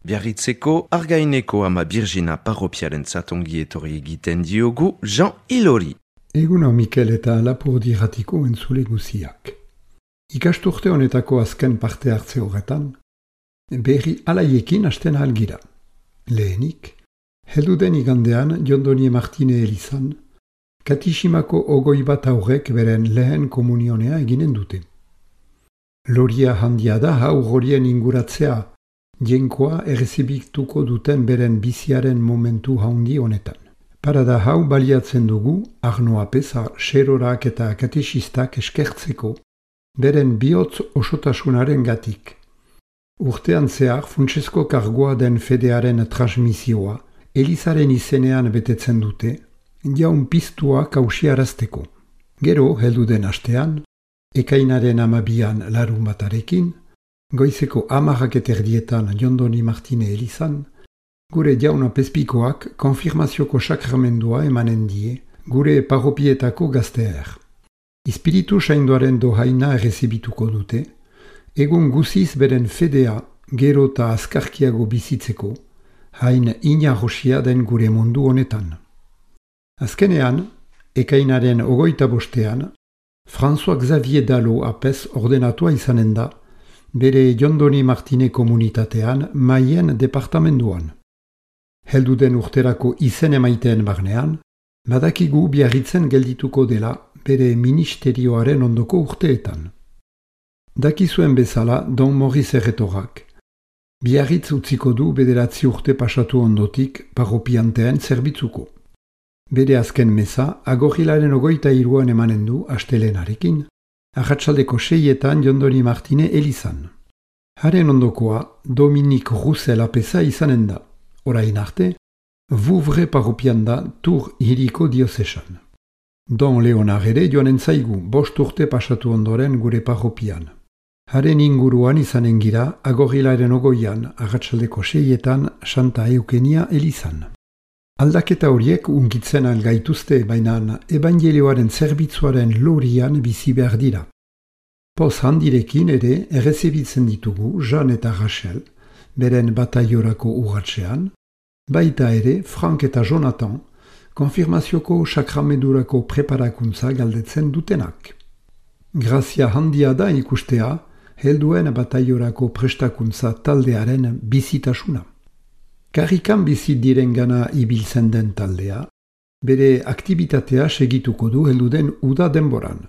Biarritzeko Argaineko ama Birjina parropiarentzat ongi etorri egiten diogu Jean Ilori. Eguno Mikel eta Lapurdi-ratiko entzule guziak. Ikasturte honetako azken parte hartze horretan, berri alaiekin hasten algira. Lehenik, helduden igandean Jondoni Martine elizan, Katiximako ogoi bat aurrek beren lehen komunionea eginen dute. Loria handia da haurrorien inguratzea, jenkoa errezibituko duten beren biziaren momentu haundi honetan. Parada hau baliatzen dugu, Arno Apeza, Xerorak eta katexistak eskertzeko, beren bihotz osotasunaren gatik. Urtean zehar funtsezko kargoa den fedearen transmisioa, Elizaren izenean betetzen dute, jaun piztua kausiarazteko. Gero, heldu den astean, ekainaren 12an larun batarekin, goizeko 10:00 Jondoni Martine elizan, gure jauna pezpikoak konfirmazioko sakramendua emanen die, gure parropietako gazteer. Ispiritu saindoaren dohaina errezibituko dute, egun guziz beren fedea gero eta azkarkiago bizitzeko, hain inarosia den gure mundu honetan. Azkenean, ekainaren 25ean, François Xavier Dalo apez ordenatua izanen da, bere Jondoni Martine komunitatean Maien departamenduan. Helduden urterako izen emaiteen barnean, badakigu Biarritzen geldituko dela bere ministerioaren ondoko urteetan. Dakizuen bezala Don Maurice Erretorak, Biarritz utziko du 9 urte pasatu ondotik parropianteen zerbitzuko. Bere azken meza, agorrilaren 23an emanen du astelenarekin, arratsaldeko 6etan Jondoni Martine elizan. Haren ondokoa Dominique Roussel apeza izanen da, orain arte, Vouvre parropian da Tour hiriko diozesan. Don Leonar ere joanen zaigu 5 urte pasatu ondoren gure parropian. Haren inguruan izanen gira agorrilaren 20an arratsaldeko 6etan Santa Eukenia elizan. Aldaketa horiek unkitzen algaituzte bainan ebangelioaren zerbitzuaren lorian bizi behar dira. Poz handirekin ere errezibitzen ditugu Jean eta Rachel, beren bataiorako urratxean, baita ere Frank eta Jonathan, konfirmazioko sakramendurako preparakuntza galdetzen dutenak. Grazia handia da ikustea, helduen bataiorako prestakuntza taldearen bizitasuna. Karrikan bizi direngana ibiltzen den taldea, bere aktibitatea segituko du helduden uda denboran.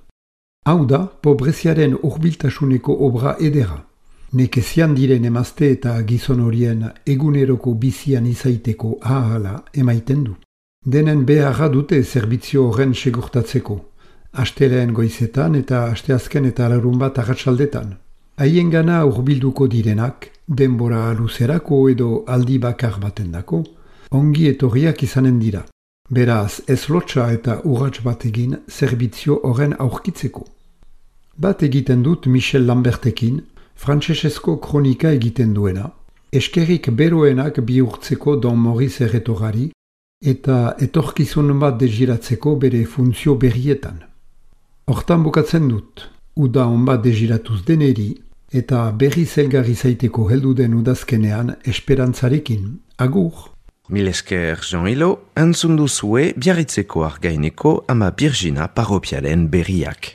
Hau da, pobreziaren hurbiltasuneko obra edera. Nekezian diren emazte eta gizon horien eguneroko bizian izaiteko ahala emaiten du. Denen beharra dute zerbitzu horren segurtatzeko, asteleen goizetan eta asteazken eta larun bat arratsaldetan. Haiengana hurbilduko direnak, denbora luzerako edo aldi bakar batendako, ongi etorriak izanen dira. Beraz, ez lotsa eta urrats bat egin zerbitzu horren aurkitzeko. Bat egiten dut Michel Lambertekin, frantsesezko kronika egiten duena, eskerrik beroenak bihurtzeko Don Maurice Erretorari eta etorkizun bat degiratzeko bere funtzio berrietan. Hortan bukatzen dut, uda on bat degiratuz deneri, eta berri zelgarri zaiteko helduden udazkenean esperantzarekin. Agur! Mil esker Jean Ilo, entzun duzue Biarritzeko Argaineko ama Birjina parropiaren berriak.